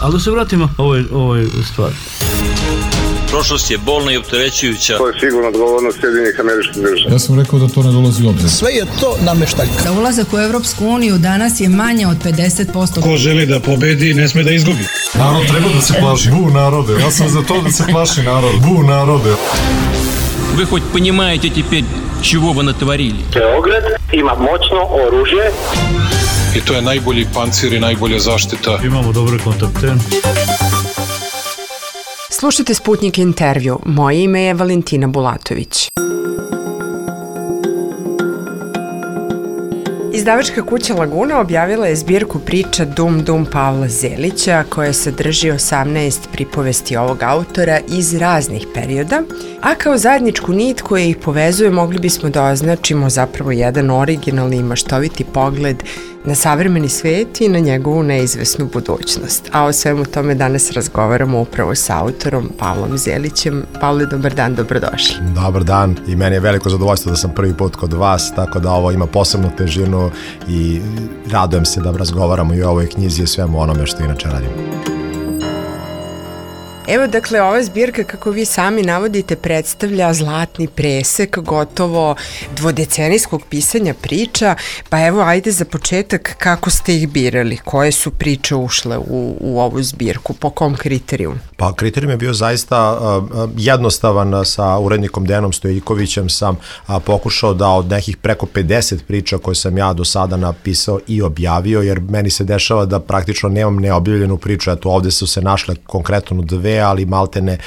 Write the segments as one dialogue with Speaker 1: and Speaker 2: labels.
Speaker 1: Ali da se vratimo ovoj stvari.
Speaker 2: Prošlost je bolna i opterećujuća.
Speaker 3: To je sigurno odgovornost Sjedinjenih Američkih Država.
Speaker 4: Ja sam rekao da to ne dolazi u obzir.
Speaker 5: Sve je to nameštaljka.
Speaker 6: Za ulazak u Evropsku uniju danas je manje od 50%.
Speaker 7: Ko želi da pobedi, ne sme da izgubi.
Speaker 4: Narod treba da se plaši. Bu narode. Ja sam za to da se plaši narod. Bu narode.
Speaker 8: Вы хоть понимаете теперь, чего вы натворили?
Speaker 3: Beograd ima moćno oružje.
Speaker 7: I to je najbolji pancir i najbolja zaštita.
Speaker 1: Imamo dobre kontakte.
Speaker 9: Slušajte Sputnik intervju. Moje ime je Valentina Bulatović. Izdavačka kuća Laguna objavila je zbirku priča Dum Dum Pavla Zelića, koja sadrži 18 pripovesti ovog autora iz raznih perioda, a kao zajedničku nit koja ih povezuje mogli bismo da označimo zapravo jedan originalni i maštoviti pogled na savremeni svet i na njegovu neizvesnu budućnost. A o svemu tome danas razgovaramo upravo sa autorom Pavlom Zelićem. Pavle, dobar dan, dobrodošli.
Speaker 10: Dobar dan i meni je veliko zadovoljstvo da sam prvi put kod vas, tako da ovo ima posebnu težinu i radujem se da razgovaramo i o ovoj knjizi i svemu onome što inače radimo.
Speaker 9: Evo, dakle, ova zbirka, kako vi sami navodite, predstavlja zlatni presek gotovo dvodecenijskog pisanja priča, pa evo, ajde za početak, kako ste ih birali? Koje su priče ušle u ovu zbirku? Po kom kriterijumu?
Speaker 10: Pa kriterijum je bio zaista jednostavan. Sa urednikom Dejanom Stojikovićem sam pokušao da od nekih preko 50 priča koje sam ja do sada napisao i objavio, jer meni se dešava da praktično nemam neobjavljenu priču. Eto, ovde su se našle konkretno dve, ali maltene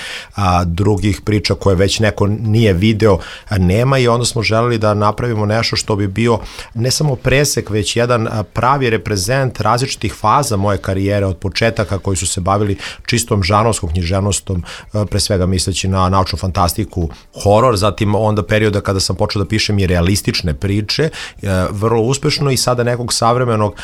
Speaker 10: drugih priča koje već neko nije video nema, i onda smo želeli da napravimo nešto što bi bio ne samo presek, već jedan pravi reprezent različitih faza moje karijere, od početaka koji su se bavili čistom žanrovskom književnostom, pre svega misleći na naučnu fantastiku, horor, zatim onda perioda kada sam počeo da pišem i realistične priče, vrlo uspešno, i sada nekog savremenog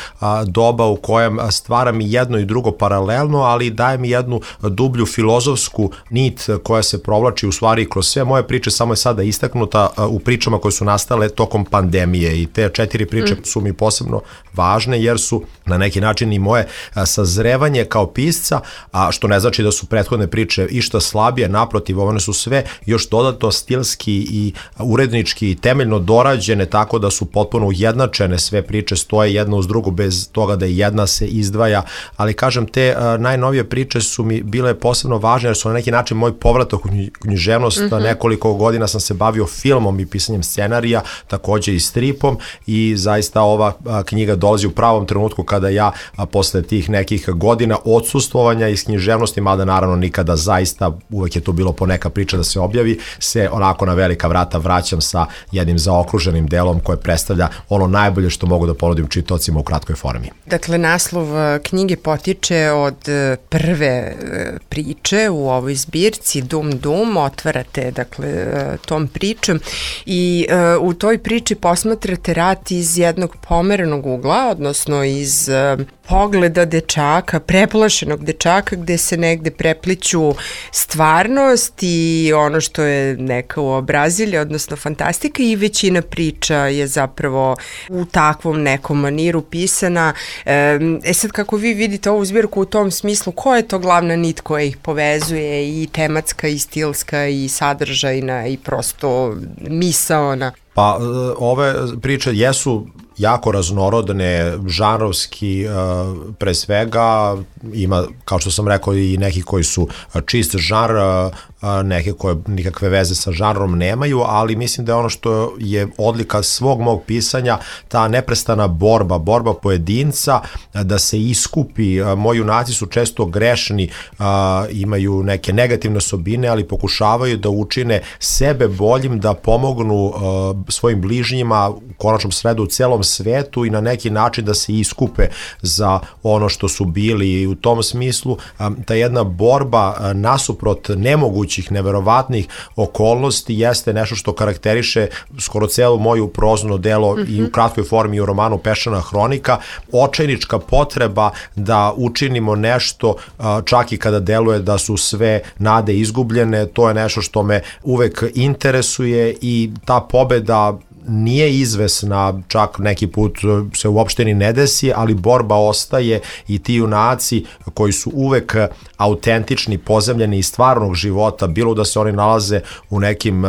Speaker 10: doba u kojem stvaram i jedno i drugo paralelno, ali dajem i jednu dublju filozofsku nit koja se provlači u stvari kroz sve moje priče, samo je sada istaknuta u pričama koje su nastale tokom pandemije, i te 4 priče su mi posebno važne jer su na neki način i moje sazrevanje kao pisca, a što ne znači da su prethodne priče išta slabije, naprotiv, one su sve još dodatno stilski i urednički i temeljno dorađene, tako da su potpuno ujednačene, sve priče stoje jedna uz drugu bez toga da jedna se izdvaja, ali kažem, te najnovije priče su mi bile posebno važne jer su na neki način moj povratak u književnost. Nekoliko godina sam se bavio filmom i pisanjem scenarija, takođe i stripom, i zaista ova knjiga dolazi u pravom trenutku kada ja posle tih nekih godina odsustvovanja iz književnosti, mada naravno nikada zaista, uvek je to bilo po neka priča da se objavi, se onako na velika vrata vraćam sa jednim zaokruženim delom koje predstavlja ono najbolje što mogu da ponudim čitaocima u kratkoj formi.
Speaker 9: Dakle, naslov knjige potiče od prve priče u ovoj zbirci Dum Dum, otvarate dakle tom pričom i u toj priči posmatrate rat iz jednog pomerenog ugla, odnosno iz pogleda dečaka, preplašenog dečaka, gde se negde prepliću stvarnost i ono što je neka uobrazilja, odnosno fantastika, i većina priča je zapravo u takvom nekom maniru pisana. Sad, kako vi vidite ovu zbirku u tom smislu, koja je to glavna nit koja ih povezuje, i tematska, i stilska, i sadržajna, i prosto misaona?
Speaker 10: Pa ove priče jesu jako raznorodne, žanrovski pre svega, ima, kao što sam rekao, i neki koji su čist žanr, neke koje nikakve veze sa žanrom nemaju, ali mislim da je ono što je odlika svog mog pisanja ta neprestana borba pojedinca da se iskupi. Moji junaci su često grešni, imaju neke negativne osobine, ali pokušavaju da učine sebe boljim, da pomognu svojim bližnjima, u konačnom sredu u celom svetu, i na neki način da se iskupe za ono što su bili. I u tom smislu ta jedna borba nasuprot nemogućih, neverovatnih okolnosti jeste nešto što karakteriše skoro celu moju prozno delo i u kratkoj formi i u romanu Peščana hronika. Očajnička potreba da učinimo nešto čak i kada deluje da su sve nade izgubljene, to je nešto što me uvek interesuje, i ta pobeda nije izvesna, čak neki put se uopšte ni ne desi, ali borba ostaje i ti junaci koji su uvek autentični, pozemljeni iz stvarnog života, bilo da se oni nalaze u nekim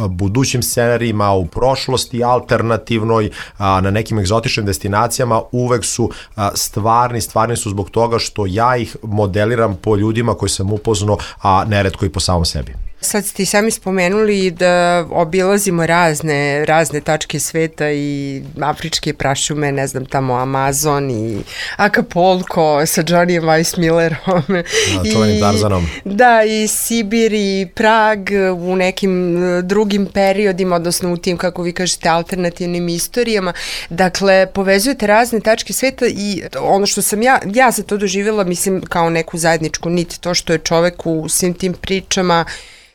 Speaker 10: budućim scenarijima, u prošlosti alternativnoj, na nekim egzotičnim destinacijama, uvek su stvarni su zbog toga što ja ih modeliram po ljudima koji sam upoznao, a neretko i po samom sebi.
Speaker 9: Sad ste i sami spomenuli da obilazimo razne tačke sveta i afričke prašume, ne znam, tamo Amazon i Acapulco sa Johnnyem Weissmillerom.
Speaker 10: Čuvenim Tarzanom.
Speaker 9: Da, i Sibir i Prag u nekim drugim periodima, odnosno u tim, kako vi kažete, alternativnim istorijama. Dakle, povezujete razne tačke sveta i ono što sam ja za to doživjela, mislim, kao neku zajedničku nit, to što je čovek u svim tim pričama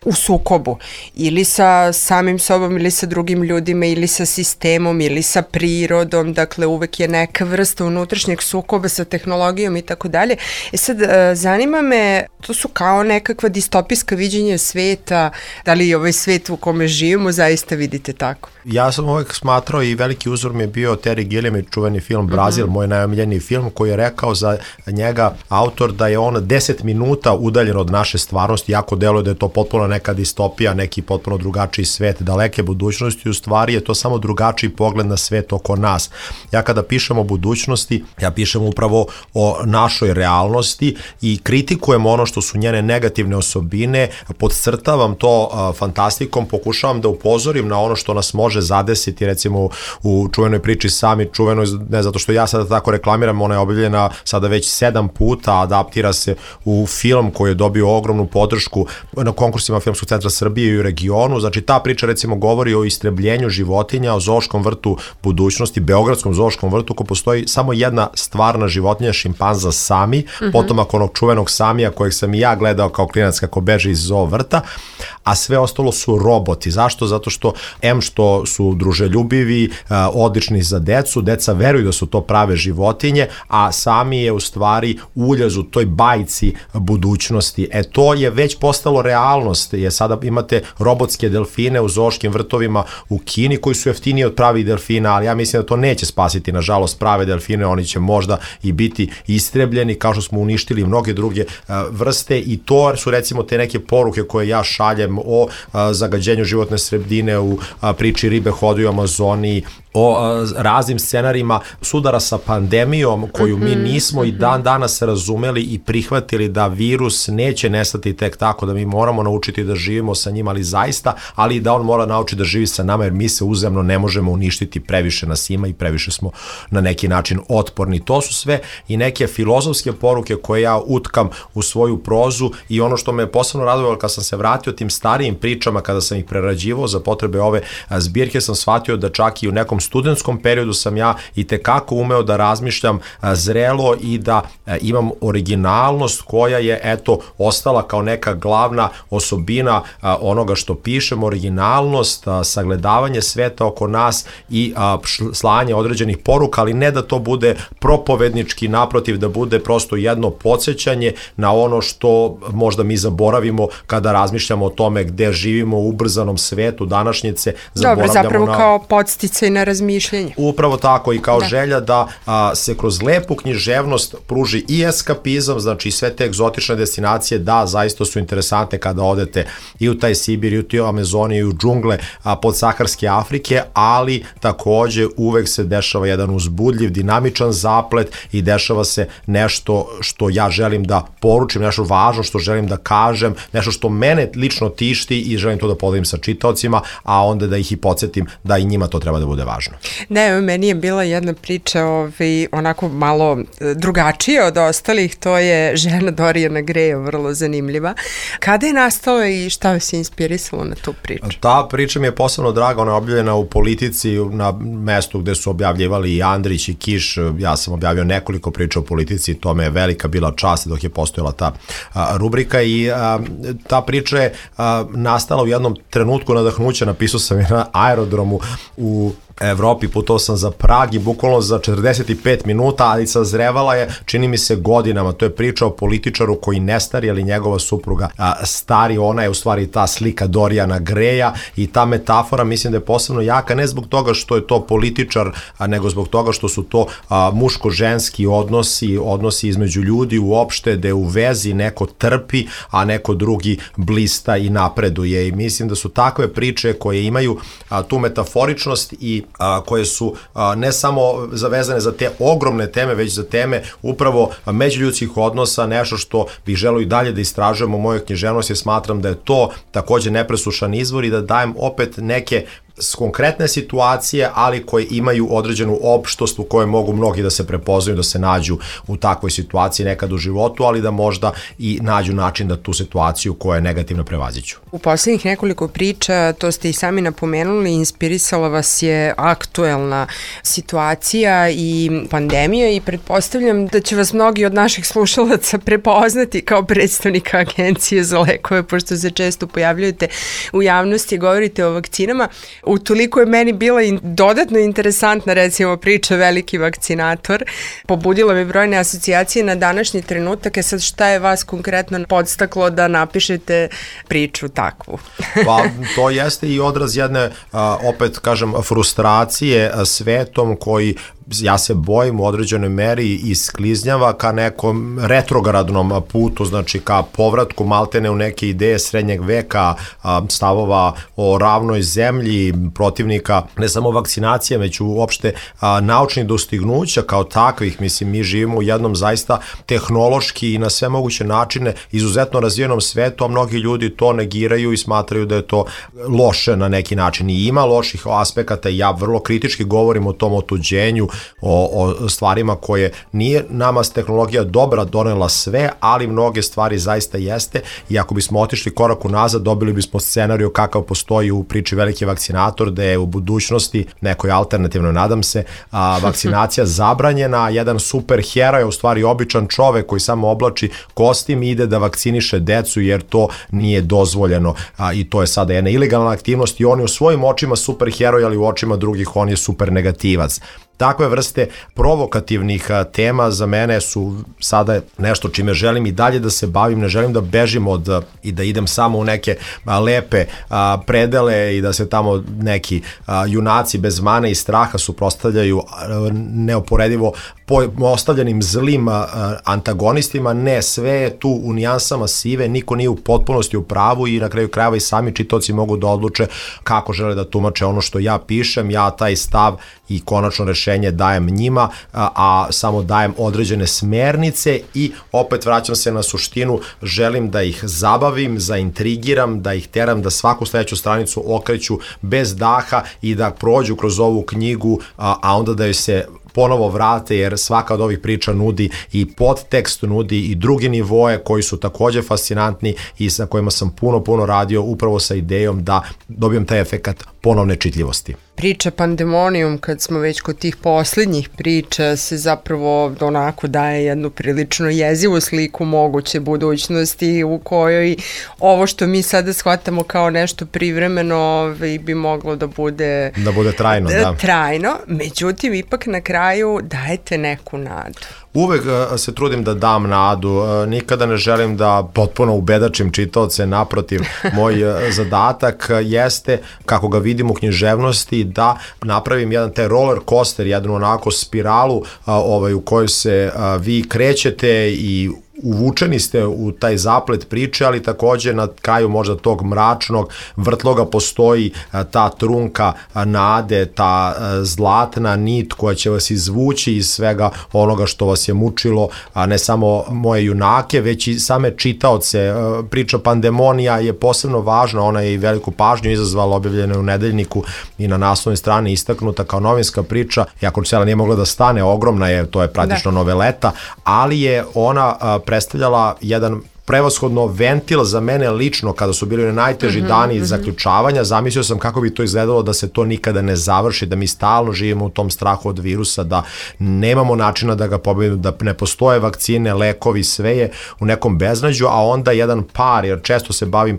Speaker 9: u sukobu, ili sa samim sobom, ili sa drugim ljudima, ili sa sistemom, ili sa prirodom, dakle uvek je neka vrsta unutrašnjeg sukoba sa tehnologijom i tako dalje. Sad, zanima me, to su kao nekakva distopijska viđenja sveta, da li ovaj svet u kome živimo zaista vidite tako?
Speaker 10: Ja sam uvek smatrao i veliki uzor mi je bio Terry Gilliam i čuveni film Brazil, moj najomiljeniji film, koji je rekao za njega autor da je on 10 minuta udaljen od naše stvarnosti, jako deluje da je to potpuno neka distopija, neki potpuno drugačiji svet, daleke budućnosti, u stvari je to samo drugačiji pogled na svet oko nas. Ja kada pišem o budućnosti, ja pišem upravo o našoj realnosti i kritikujem ono što su njene negativne osobine, podcrtavam to fantastikom, pokušavam da upozorim na ono što nas može zadesiti, recimo u čuvenoj priči Sami, čuvenoj, ne zato što ja sada tako reklamiram, ona je objavljena sada već 7 puta, adaptira se u film koji je dobio ogromnu podršku na konkursima Filmskog centra Srbije i u regionu. Znači ta priča recimo govori o istrebljenju životinja, o zoološkom vrtu budućnosti, beogradskom zoološkom vrtu, ko postoji samo jedna stvarna životinja, šimpanza Sami, potomak onog čuvenog Samija kojeg sam i ja gledao kao klinac kako beže iz zoo vrta, a sve ostalo su roboti. Zašto? Zato što što su druželjubivi, odlični za decu, deca veruju da su to prave životinje, a Sami je u stvari uljez u toj bajci budućnosti. To je već postalo realnost, jer sada imate robotske delfine u zoološkim vrtovima u Kini koji su jeftiniji od pravih delfina, ali ja mislim da to neće spasiti, nažalost, prave delfine, oni će možda i biti istrebljeni, kao što smo uništili mnoge druge vrste, i to su recimo te neke poruke koje ja šaljem o zagađenju životne sredine, u priči ribe hodaju u Amazoniji, o raznim scenarijima sudara sa pandemijom koju mi nismo i dan danas razumeli i prihvatili da virus neće nestati tek tako, da mi moramo naučiti da živimo sa njim, ali zaista, ali da on mora naučiti da živi sa nama, jer mi se uzemno ne možemo uništiti, previše nas ima i previše smo na neki način otporni. To su sve i neke filozofske poruke koje ja utkam u svoju prozu, i ono što me posebno radovalo kad sam se vratio tim starijim pričama, kada sam ih prerađivao za potrebe ove zbirke, sam shvatio da čak i u nekom studentskom periodu sam ja i tekako umeo da razmišljam zrelo i da imam originalnost koja je ostala kao neka glavna osobina onoga što pišem, originalnost, sagledavanje sveta oko nas i slanje određenih poruka, ali ne da to bude propovednički, naprotiv, da bude prosto jedno podsjećanje na ono što možda mi zaboravimo kada razmišljamo o tome gde živimo u ubrzanom svetu današnjice.
Speaker 9: Dobro, zapravo kao podsticaj na razmišljanje.
Speaker 10: Upravo tako, i kao želja da se kroz lepu književnost pruži i eskapizam, znači sve te egzotične destinacije, da, zaista su interesantne kada odete i u taj Sibir, i u toj Amazoniju, i u džungle podsaharske Afrike, ali takođe uvek se dešava jedan uzbudljiv, dinamičan zaplet i dešava se nešto što ja želim da poručim, nešto važno što želim da kažem, nešto što mene lično tišti i želim to da podelim sa čitaocima, a onda da ih i podsjetim da i njima to treba da bude važno.
Speaker 9: Ne, meni je bila jedna priča onako malo drugačija od ostalih, to je žena Dorijana Greja, vrlo zanimljiva. Kada je nastala i šta vas je inspirisalo na tu priču?
Speaker 10: Ta priča mi je posebno draga, ona je objavljena u Politici, na mestu gde su objavljivali i Andrić i Kiš. Ja sam objavio nekoliko priča o politici, to me je velika bila čast dok je postojala ta rubrika, i ta priča je nastala u jednom trenutku nadahnuća. Napisao sam je na aerodromu u Evropi, putovao sam za Prag i bukvalno za 45 minuta, ali sazrevala je, čini mi se, godinama. To je priča o političaru koji ne stari, ali njegova supruga stari. Ona je u stvari ta slika Dorijana Greja i ta metafora mislim da je posebno jaka, ne zbog toga što je to političar, nego zbog toga što su to muško-ženski odnosi između ljudi uopšte, da je u vezi neko trpi, a neko drugi blista i napreduje. I mislim da su takve priče koje imaju tu metaforičnost i koje su ne samo zavezane za te ogromne teme, već za teme upravo međuljudskih odnosa, nešto što bih želeo i dalje da istražujem u mojoj književnosti, jer smatram da je to takođe nepresušan izvor i da dajem opet neke konkretne situacije, ali koje imaju određenu opštost u kojoj mogu mnogi da se prepoznaju, da se nađu u takvoj situaciji nekad u životu, ali da možda i nađu način da tu situaciju koja je negativna prevaziću.
Speaker 9: U poslednjih nekoliko priča, to ste i sami napomenuli, inspirisala vas je aktuelna situacija i pandemija i pretpostavljam da će vas mnogi od naših slušalaca prepoznati kao predstavnika Agencije za lekove, pošto se često pojavljujete u javnosti i govorite o vakcinama. Utoliko je meni bila dodatno interesantna recimo priča Veliki vakcinator. Pobudila mi brojne asocijacije na današnji trenutak. Sad šta je vas konkretno podstaklo da napišete priču takvu?
Speaker 10: Pa to jeste i odraz jedne, opet kažem, frustracije svetom koji ja se bojim u određenoj meri iskliznjava ka nekom retrogradnom putu, znači ka povratku maltene u neke ideje srednjeg veka, stavova o ravnoj zemlji, protivnika ne samo vakcinacije, već uopšte naučnih dostignuća kao takvih. Mislim, mi živimo u jednom zaista tehnološki i na sve moguće načine izuzetno razvijenom svetu, a mnogi ljudi to negiraju i smatraju da je to loše na neki način. I ima loših aspekata i ja vrlo kritički govorim o tom otuđenju, o stvarima koje nije nama tehnologija dobra donela sve, ali mnoge stvari zaista jeste i ako bismo otišli korak unazad, dobili bismo scenariju kakav postoji u priči Veliki vakcinator, da je u budućnosti, nekoj alternativno nadam se, vakcinacija zabranjena, jedan super heroj, u stvari običan čovek koji samo oblači kostim i ide da vakciniše decu jer to nije dozvoljeno i to je sada jedna ilegalna aktivnost i on je u svojim očima super heroj, ali u očima drugih on je super negativac. Takve vrste provokativnih tema za mene su sada nešto čime želim i dalje da se bavim, ne želim da bežim i da idem samo u neke lepe predele i da se tamo neki junaci bez mane i straha suprotstavljaju neoporedivo ostavljenim zlim antagonistima. Ne, sve je tu u nijansama sive, niko nije u potpunosti u pravu i na kraju krajeva i sami čitaoci mogu da odluče kako žele da tumače ono što ja pišem. Ja taj stav i konačno rešenje dajem njima, a samo dajem određene smernice i opet vraćam se na suštinu, želim da ih zabavim, zaintrigiram, da ih teram da svaku sledeću stranicu okreću bez daha i da prođu kroz ovu knjigu, a onda da joj se ponovo vrate, jer svaka od ovih priča nudi i podtekst, nudi i drugi nivoje koji su takođe fascinantni i sa kojima sam puno radio upravo sa idejom da dobijem taj efekat ponovne čitljivosti.
Speaker 9: Priča Pandemonium, kad smo već kod tih poslednjih priča, se zapravo onako daje jednu prilično jezivu sliku moguće budućnosti u kojoj ovo što mi sada shvatamo kao nešto privremeno bi moglo da bude
Speaker 10: trajno, da.
Speaker 9: Trajno, međutim ipak na kraju dajete neku nadu.
Speaker 10: Uvek se trudim da dam nadu, nikada ne želim da potpuno ubedačim čitaoce, naprotiv, moj zadatak jeste, kako ga vidim u književnosti, da napravim jedan taj roller coaster, jednu onako spiralu u kojoj se vi krećete i uvučeni ste u taj zaplet priče, ali takođe na kraju možda tog mračnog vrtloga postoji ta trunka nade, ta zlatna nit koja će vas izvući iz svega onoga što vas je mučilo, a ne samo moje junake, već i same čitaoce. Priča Pandemonija je posebno važna, ona je i veliku pažnju izazvala, objavljena u Nedeljniku i na naslovnoj strani istaknuta kao novinska priča, iako cela nije mogla da stane, ogromna je, to je praktično noveleta, ali je ona predstavljala jedan prevashodno ventil za mene lično kada su bili najteži dani zaključavanja. Zamislio sam kako bi to izgledalo da se to nikada ne završi, da mi stalno živimo u tom strahu od virusa, da nemamo načina da ga pobedimo, da ne postoje vakcine, lekovi, sve je u nekom beznađu, a onda jedan par, jer često se bavim,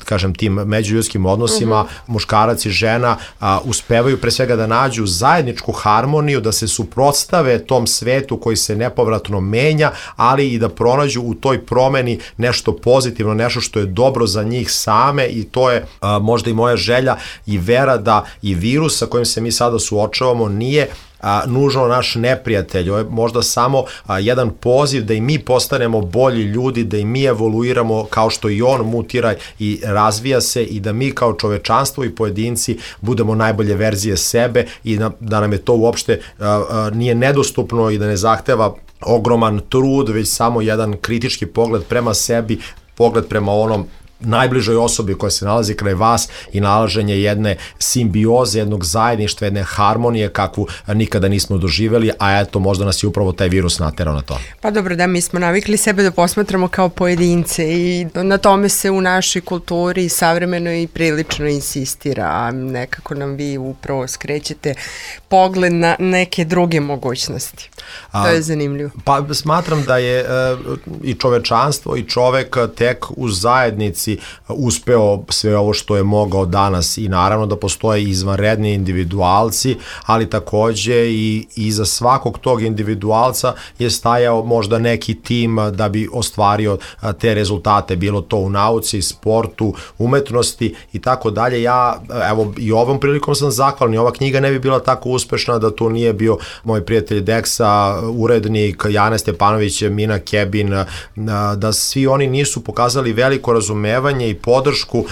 Speaker 10: kažem, tim međuljudskim odnosima, muškarac i žena uspevaju pre svega da nađu zajedničku harmoniju, da se suprotstave tom svetu koji se nepovratno menja, ali i da pronađu u toj promeni nešto pozitivno, nešto što je dobro za njih same, i to je možda i moja želja i vera da i virus sa kojim se mi sada suočavamo nije nužno naš neprijatelj, ovo je možda samo jedan poziv da i mi postanemo bolji ljudi, da i mi evoluiramo kao što i on mutira i razvija se, i da mi kao čovečanstvo i pojedinci budemo najbolje verzije sebe, i da nam je to uopšte nije nedostupno i da ne zahteva ogroman trud, već samo jedan kritički pogled prema sebi, pogled prema onom najbližoj osobi koja se nalazi kraj vas i nalaženje jedne simbioze, jednog zajedništva, jedne harmonije kakvu nikada nismo doživjeli, a eto, možda nas je upravo taj virus naterao na to.
Speaker 9: Pa dobro, da, mi smo navikli sebe da posmatramo kao pojedince i na tome se u našoj kulturi savremeno i prilično insistira, a nekako nam vi upravo skrećete pogled na neke druge mogućnosti. To je zanimljivo.
Speaker 10: Pa smatram da je i čovečanstvo i čovek tek u zajednici uspeo sve ovo što je mogao danas, i naravno da postoje izvanredni individualci, ali takođe i iza svakog tog individualca je stajao možda neki tim da bi ostvario te rezultate, bilo to u nauci, sportu, umetnosti i tako dalje. Ja, evo, i ovom prilikom sam zahvalan, i ova knjiga ne bi bila tako uspešna da tu nije bio moj prijatelj Deksa, urednik Jana Stepanović, Mina Kebin, da svi oni nisu pokazali veliko razumevanje i podršku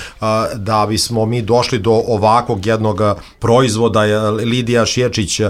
Speaker 10: da bismo mi došli do ovakvog jednog proizvoda. Lidija Šjerčić,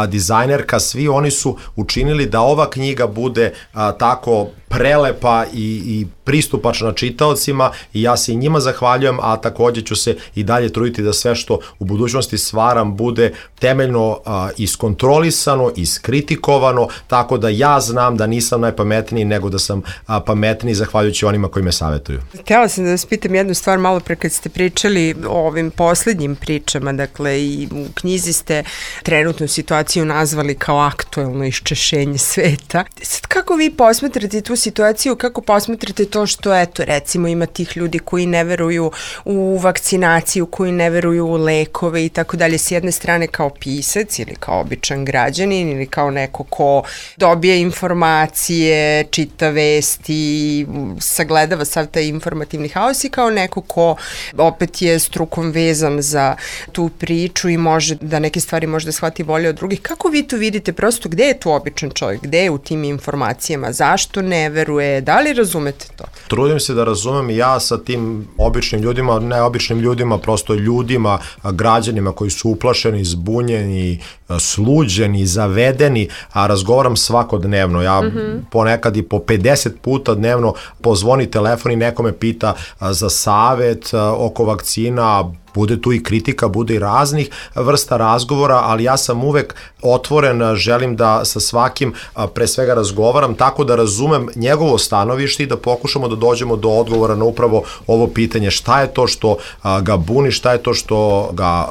Speaker 10: dizajnerka, svi oni su učinili da ova knjiga bude tako prelepa i pristupačna čitaocima, i ja se i njima zahvaljujem, a takođe ću se i dalje truditi da sve što u budućnosti stvaram bude temeljno iskontrolisano, iskritikovano, tako da ja znam da nisam najpametniji, nego da sam pametniji zahvaljujući onima koji me savjetuju.
Speaker 9: Htjela sam da vas pitam jednu stvar malo pre kad ste pričali o ovim poslednjim pričama, dakle i u knjizi ste trenutnu situaciju nazvali kao aktuelno iščešenje sveta. Sad kako vi posmatrate tu situaciju, kako posmatrate to što, eto, recimo ima tih ljudi koji ne veruju u vakcinaciju, koji ne veruju u lekove i tako dalje, s jedne strane kao pisac ili kao običan građanin ili kao neko ko dobije informacije, čita vesti, sagledava sav taj informativni haos, i kao neko ko opet je strukom vezan za tu priču i može da neke stvari možda shvati bolje od drugih. Kako vi to vidite, prosto gde je tu običan čovjek, gde je u tim informacijama, zašto ne veruje, da li razumete to?
Speaker 10: Trudim se da razumem i ja sa tim običnim ljudima, ne običnim ljudima, prosto ljudima, građanima koji su uplašeni, zbunjeni, sluđeni, zavedeni, a razgovaram svakodnevno. Ja ponekad i po 50 puta dnevno pozvoni telefon i neko me pita za savet oko vakcina. Bude tu i kritika, bude i raznih vrsta razgovora, ali ja sam uvek otvoren, želim da sa svakim pre svega razgovaram tako da razumem njegovo stanovište i da pokušamo da dođemo do odgovora na upravo ovo pitanje, šta je to što ga buni, šta je to što ga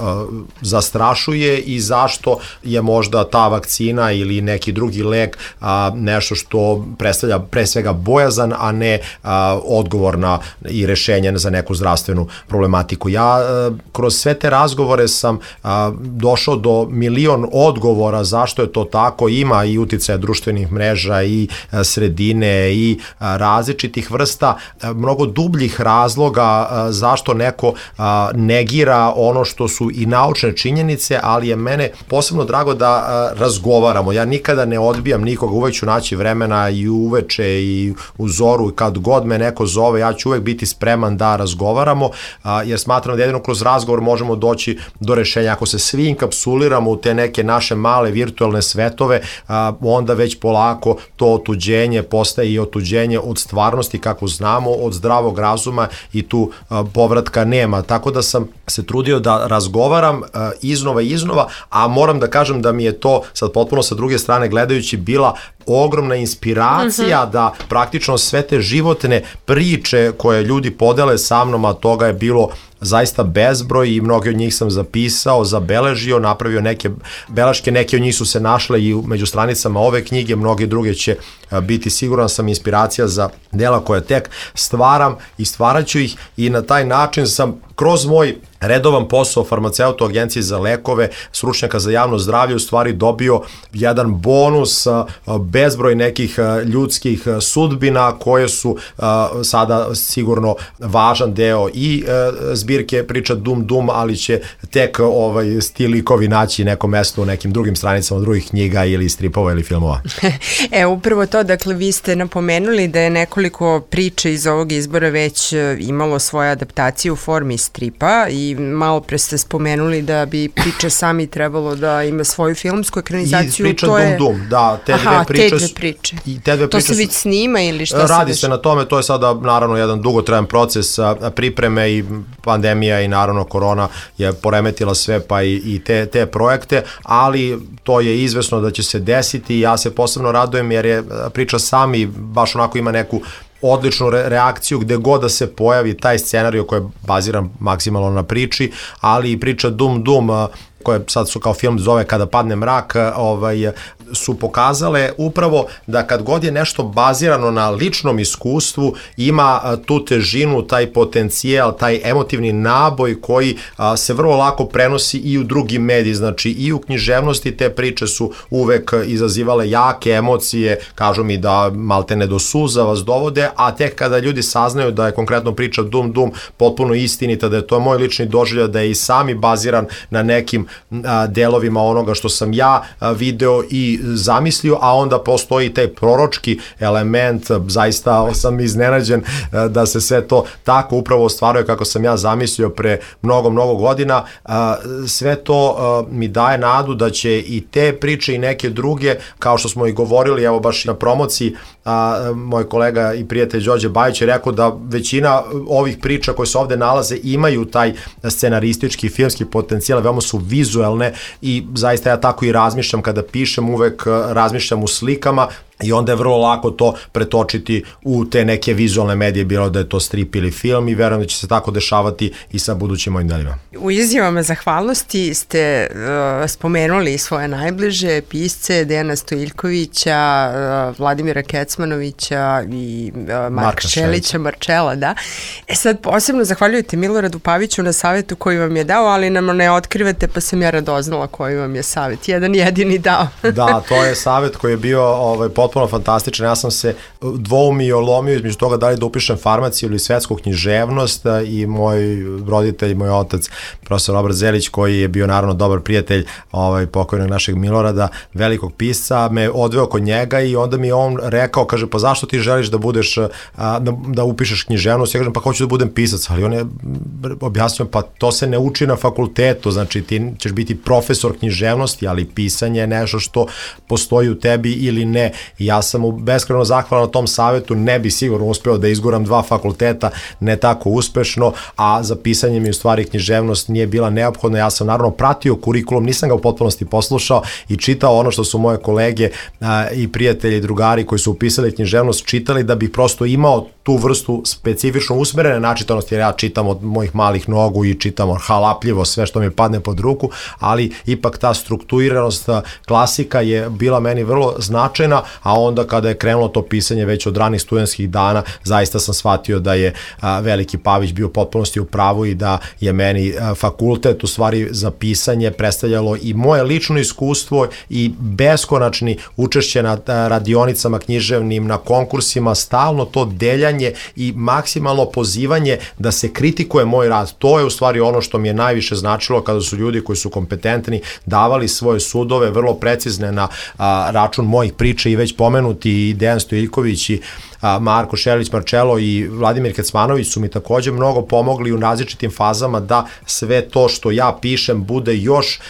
Speaker 10: zastrašuje i zašto je možda ta vakcina ili neki drugi lek nešto što predstavlja pre svega bojazan, a ne odgovor na i rešenje za neku zdravstvenu problematiku. Ja kroz sve te razgovore sam došao do milion odgovora zašto je to tako. Ima i uticaja društvenih mreža i sredine i različitih vrsta, mnogo dubljih razloga zašto neko negira ono što su i naučne činjenice, ali je mene posebno drago da razgovaramo. Ja nikada ne odbijam nikoga, uvek ću naći vremena i uveče i u zoru, kad god me neko zove, ja ću uvek biti spreman da razgovaramo, jer smatram da jedino kroz razgovor možemo doći do rešenja. Ako se svi inkapsuliramo u te neke naše male virtualne svetove, onda već polako to otuđenje postaje i otuđenje od stvarnosti kako znamo, od zdravog razuma, i tu povratka nema. Tako da sam se trudio da razgovaram iznova i iznova, a moram da kažem da mi je to sad potpuno sa druge strane gledajući bila ogromna inspiracija da praktično sve te životne priče koje ljudi podele sa mnom, a toga je bilo zaista bezbroj i mnoge od njih sam zapisao, zabeležio, napravio neke beleške, neke od njih su se našle i među stranicama ove knjige, mnoge druge će biti, siguran sam, inspiracija za dela koje tek stvaram i stvaraću ih i na taj način sam kroz moj redovan posao farmaceuta u Agenciji za lekove, stručnjaka za javno zdravlje, u stvari dobio jedan bonus, bezbroj nekih ljudskih sudbina koje su sada sigurno važan deo i zbirke priča Dum Dum, ali će tek ti likovi naći neko mesto u nekim drugim stranicama drugih knjiga ili stripova ili filmova.
Speaker 9: Upravo to, dakle vi ste napomenuli da je nekoliko priče iz ovog izbora već imalo svoje adaptacije u formi stripa i malo pre ste spomenuli da bi priče sami trebalo da ima svoju filmsku ekranizaciju.
Speaker 10: I priča Dum Dum, da, te dve priče.
Speaker 9: To se već snima ili šta se
Speaker 10: radi se na tome, to je sada naravno jedan dugotrajan proces pripreme i pandemija i naravno korona je poremetila sve pa i te projekte, ali to je izvesno da će se desiti i ja se posebno radujem jer je priča sami baš onako ima neku odličnu reakciju gde god da se pojavi taj scenarij koji je baziran maksimalno na priči, ali i priča Dum Dum koje sad su kao film zove Kada padne mrak, su pokazale upravo da kad god je nešto bazirano na ličnom iskustvu ima tu težinu, taj potencijal, taj emotivni naboj koji se vrlo lako prenosi i u drugi mediji, znači i u književnosti te priče su uvek izazivale jake emocije, kažu mi da maltene do suza vas dovode, a tek kada ljudi saznaju da je konkretno priča Dum Dum potpuno istinita, da je to moj lični doživljaj, da je i sami baziran na nekim delovima onoga što sam ja video i zamislio, a onda postoji taj proročki element, zaista sam iznenađen da se sve to tako upravo ostvaruje kako sam ja zamislio pre mnogo godina. Sve to mi daje nadu da će i te priče i neke druge, kao što smo i govorili, evo baš na promociji, moj kolega i prijatelj Đorđe Bajić je rekao da većina ovih priča koje se ovde nalaze imaju taj scenaristički i filmski potencijal, veoma su vizuelne i zaista ja tako i razmišljam kada pišem, uvek razmišljam u slikama i onda je vrlo lako to pretočiti u te neke vizualne medije, bilo da je to strip ili film i verujem da će se tako dešavati i sa budućim mojim delima.
Speaker 9: U izjavama zahvalnosti ste spomenuli svoje najbliže pisce, Dejana Stojiljkovića, Vladimira Kecmanovića i Marka Šelića, Marčela, da. Sad posebno zahvaljujete Miloradu Paviću na savjetu koji vam je dao, ali nam ne otkrivate pa sam ja radoznala koji vam je savjet. Jedan jedini dao.
Speaker 10: Da, to je savjet koji je bio potpuno fantastičan. Ja sam se dvoumio, lomio između toga da li da upišem farmaciju ili svetsku književnost i moj roditelj, moj otac, profesor Robert Zelić, koji je bio naravno dobar prijatelj pokojnog našeg Milorada, velikog pisca, me odveo kod njega i onda mi je on rekao, kaže, pa zašto ti želiš da budeš, da upišeš književnost? Ja kažem, pa hoću da budem pisac, ali on je objasnio, pa to se ne uči na fakultetu, znači ti ćeš biti profesor književnosti, ali pisanje je nešto što postoji u tebi ili ne. I ja sam mu beskrajno zahvalan na tom savjetu, ne bi sigurno uspeo da izguram 2 fakulteta, ne tako uspešno, a za pisanje mi u stvari književnost nije bila neophodna. Ja sam naravno pratio kurikulum, nisam ga u potpunosti poslušao i čitao ono što su moje kolege i prijatelji i drugari koji su upisali književnost čitali, da bih prosto imao tu vrstu specifično usmerene načitanosti, jer ja čitam od mojih malih nogu i čitam halapljivo sve što mi padne pod ruku, ali ipak ta strukturiranost, klasika je bila meni vrlo značajna, a onda kada je krenulo to pisanje već od ranih studentskih dana, zaista sam shvatio da je veliki Pavić bio u potpunosti u pravu i da je meni fakultet u stvari za pisanje predstavljalo i moje lično iskustvo i beskonačni učešće na radionicama književnim, na konkursima, stalno to deljanje i maksimalno pozivanje da se kritikuje moj rad. To je u stvari ono što mi je najviše značilo kada su ljudi koji su kompetentni davali svoje sudove vrlo precizne na račun mojih priča i već pomenuti i Dejan Stojiljković i Marko Šelić, Marčelo i Vladimir Kecmanović su mi takođe mnogo pomogli u različitim fazama da sve to što ja pišem bude još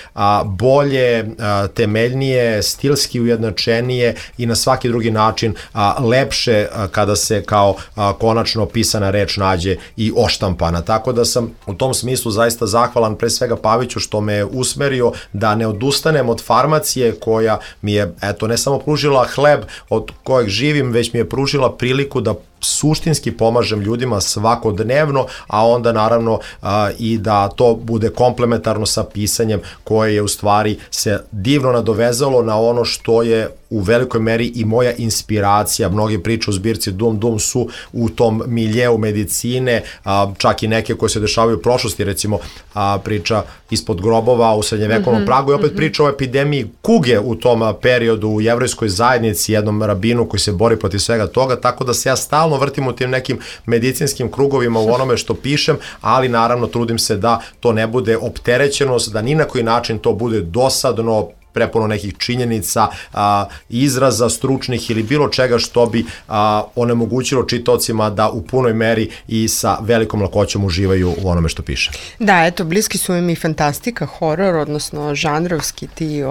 Speaker 10: bolje, temeljnije, stilski ujednačenije i na svaki drugi način lepše kada se kao konačno pisana reč nađe i oštampana. Tako da sam u tom smislu zaista zahvalan pre svega Paviću što me je usmerio da ne odustanem od farmacije koja mi je, eto, ne samo pružila hleb hleb od kojeg živim, već mi je pružila priliku da suštinski pomažem ljudima svakodnevno, a onda naravno i da to bude komplementarno sa pisanjem koje je u stvari se divno nadovezalo na ono što je u velikoj meri i moja inspiracija. Mnogi priče u zbirci Dum Dum su u tom miljeu medicine, čak i neke koje se dešavaju u prošlosti, recimo priča Ispod grobova u srednjevekovnom Pragu i opet priča o epidemiji kuge u tom periodu u jevrejskoj zajednici, jednom rabinu koji se bori protiv svega toga, tako da se ja stalno vrtim u tim nekim medicinskim krugovima u onome što pišem, ali naravno trudim se da to ne bude opterećenost, da ni na koji način to bude dosadno, prepuno nekih činjenica, izraza stručnih ili bilo čega što bi onemogućilo čitaocima da u punoj meri i sa velikom lakoćom uživaju u onome što piše.
Speaker 9: Da, eto, bliski su im i fantastika, horor, odnosno žanrovski ti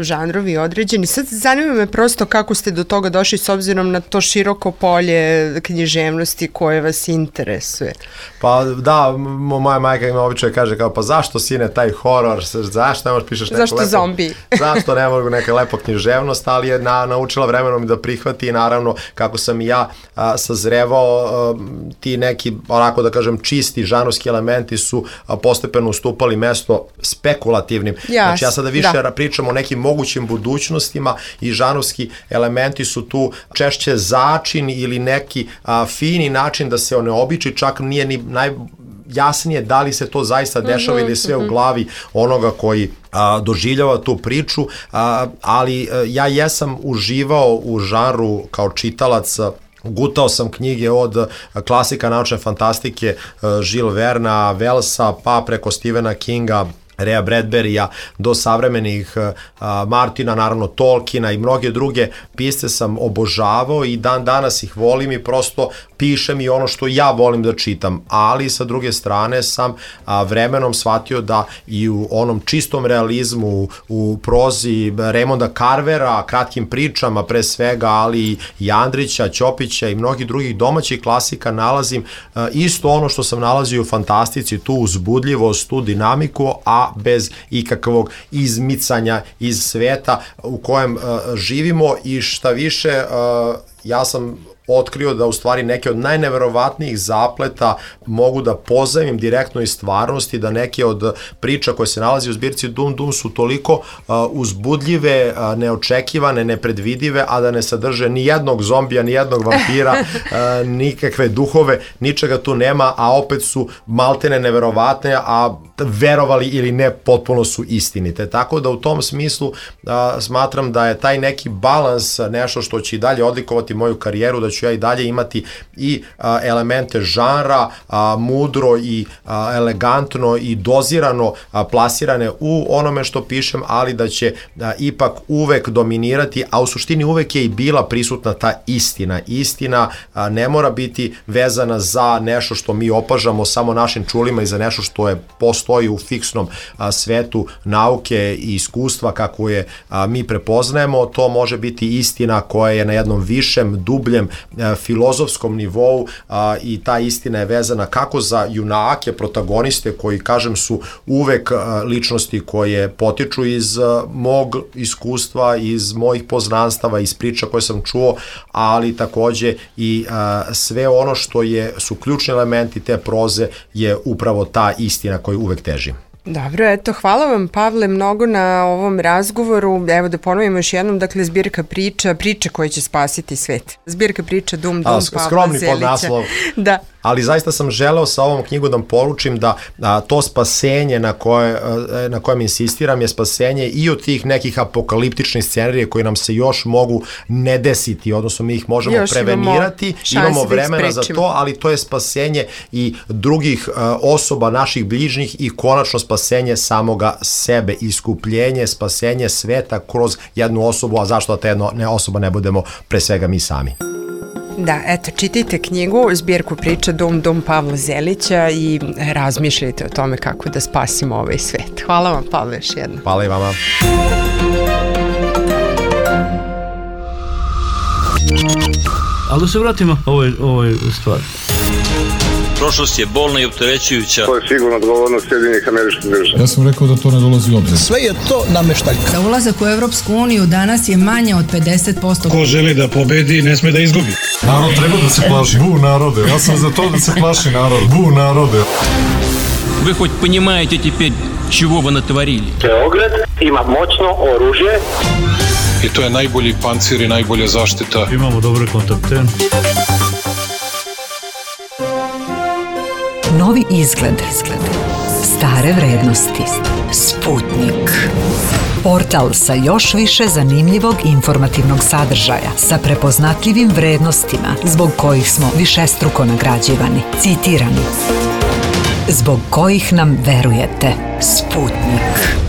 Speaker 9: žanrovi određeni. Sad zanima me prosto kako ste do toga došli s obzirom na to široko polje književnosti koje vas interesuje.
Speaker 10: Pa da, moja majka ima običaj kaže kao, pa zašto sine taj horor, zašto ne možeš pišeš neko lepo? Zombi. Zašto ne mogu neka lepa književnost, ali je naučila vremenom da prihvati i naravno kako sam i ja sazrevao, ti neki, onako da kažem, čisti žanrovski elementi su postepeno ustupali mesto spekulativnim. Znači ja sada više pričam o nekim mogućim budućnostima i žanrovski elementi su tu češće začin ili neki fini način da se one običi, čak nije ni jasnije da li se to zaista dešava ili sve u glavi onoga koji doživljava tu priču, ali ja jesam uživao u žanru kao čitalac. Gutao sam knjige od klasika naučne fantastike Jules Verna, Wellsa, pa preko Stephena Kinga, Raya Bradburya do savremenih Martina, naravno Tolkiena i mnoge druge pisce sam obožavao i dan danas ih volim i prosto pišem i ono što ja volim da čitam, ali sa druge strane sam vremenom shvatio da i u onom čistom realizmu, u prozi Raymonda Carvera, kratkim pričama pre svega, ali i Andrića, Ćopića i mnogih drugih domaćih klasika nalazim isto ono što sam nalazio u fantastici, tu uzbudljivost, tu dinamiku, a bez ikakvog izmicanja iz sveta u kojem živimo i šta više, ja sam otkrio da u stvari neke od najneverovatnijih zapleta mogu da pozajmim direktno iz stvarnosti, da neke od priča koje se nalazi u zbirci Dum Dum su toliko uzbudljive, neočekivane, nepredvidive, a da ne sadrže ni jednog zombija, ni jednog vampira, nikakve duhove, ničega tu nema, a opet su maltene neverovatne, a verovali ili ne, potpuno su istinite. Tako da u tom smislu smatram da je taj neki balans nešto što će i dalje odlikovati moju karijeru, da ću ja i dalje imati i elemente žanra, mudro i elegantno i dozirano plasirane u onome što pišem, ali da će ipak uvek dominirati, a u suštini uvek je i bila prisutna ta istina. Istina ne mora biti vezana za nešto što mi opažamo samo našim čulima i za nešto što je postoji u fiksnom svetu nauke i iskustva kako je mi prepoznajemo. To može biti istina koja je na jednom višem, dubljem filozofskom nivou i ta istina je vezana kako za junake, protagoniste koji, kažem, su uvek ličnosti koje potiču iz mog iskustva, iz mojih poznanstava, iz priča koje sam čuo, ali takođe i sve ono što su ključni elementi te proze je upravo ta istina koju uvek težim.
Speaker 9: Dobro, eto, hvala vam, Pavle, mnogo na ovom razgovoru. Evo da ponovimo još jednom, dakle, zbirka priča, priče koje će spasiti svet. Zbirka priča Dum Dum, Pavla Zelića.
Speaker 10: Skromni podnaslov.
Speaker 9: Da.
Speaker 10: Ali zaista sam želeo sa ovom knjigom da poručim da to spasenje na kojem insistiram je spasenje i od tih nekih apokaliptičnih scenarija koji nam se još mogu ne desiti, odnosno mi ih možemo još prevenirati, imamo vremena za to, ali to je spasenje i drugih osoba, naših bližnjih i konačno spasenje samoga sebe, iskupljenje, spasenje sveta kroz jednu osobu, a zašto da ta jedna osoba ne budemo pre svega mi sami.
Speaker 9: Da, eto, čitajte knjigu, zbirku priča Dum Dum Pavla Zelića i razmišljajte o tome kako da spasimo ovaj svet. Hvala vam, Pavle, još jedno.
Speaker 10: Hvala i vama.
Speaker 1: Ali da se vratimo ovoj stvari.
Speaker 2: Prošlost je bolna i opterećujuća.
Speaker 3: To je sigurno odgovornost Sjedinjenih Američkih Država.
Speaker 4: Ja sam rekao da to ne dolazi u obzir.
Speaker 5: Sve je to nameštaljka.
Speaker 6: Za ulazak u Evropsku uniju danas je manje od 50%.
Speaker 5: Ko želi da pobedi, ne sme da izgubi.
Speaker 4: Narod treba da se plaši. Bu narode. Ja sam za to da se plaši narod. Bu narode.
Speaker 8: Вы хоть понимаете теперь, чего вы натворили?
Speaker 3: Beograd ima moćno oružje.
Speaker 7: I to je najbolji pancir i najbolja zaštita.
Speaker 1: Imamo dobre kontakte.
Speaker 11: Novi izgled. Stare vrednosti. Sputnik. Portal sa još više zanimljivog informativnog sadržaja, sa prepoznatljivim vrednostima zbog kojih smo višestruko nagrađivani, citirani, zbog kojih nam verujete. Sputnik.